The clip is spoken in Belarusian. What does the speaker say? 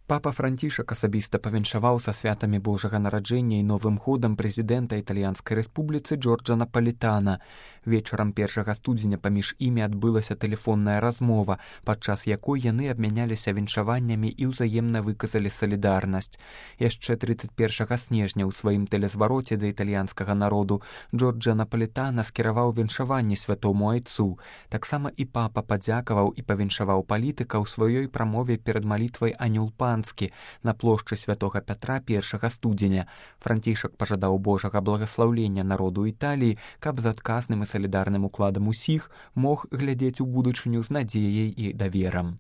Папа Францішак асабіста павіншаваў са святамі Божага нараджэння і новым годам прэзідэнта Італьянскай рэспубліцы Джорджа Напалітана. Вечарам 1 студзеня паміж імі адбылася тэлефонная размова, падчас якой яны абмяняліся віншаваннямі і ўзаемна выказалі салідарнасць. Яшчэ 31 снежня ў сваім тэлезвароце да італьянскага народу Джорджа Напалітана скіраваў віншаванне святому айцу. Таксама і папа падзякаваў і павіншаваў палітыка ў сваёй прамове перад малітвай Анёл Панскі на плошчы святога Пятра 1 студзеня. Францішак пажадаў Божага благаслаўлення народу Італіі, каб з адказным і салідарным укладам усіх мог глядзець у будучыню з надзеяй і даверам.